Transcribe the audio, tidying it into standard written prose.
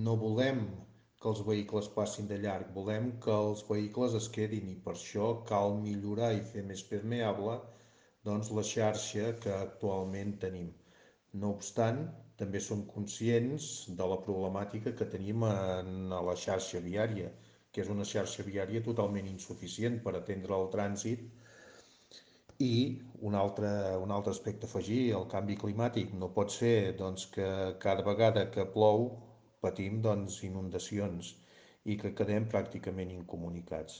No volem que els vehicles passin de llarg, volem que els vehicles es quedin i per això cal millorar i fer més permeable doncs, la xarxa que actualment tenim. No obstant, també som conscients de la problemàtica que tenim en la xarxa viària, que és una xarxa viària totalment insuficient per atendre el trànsit i un altre aspecte a afegir, el canvi climàtic. No pot ser doncs, que cada vegada que plou patim doncs, inundacions i que quedem pràcticament incomunicats.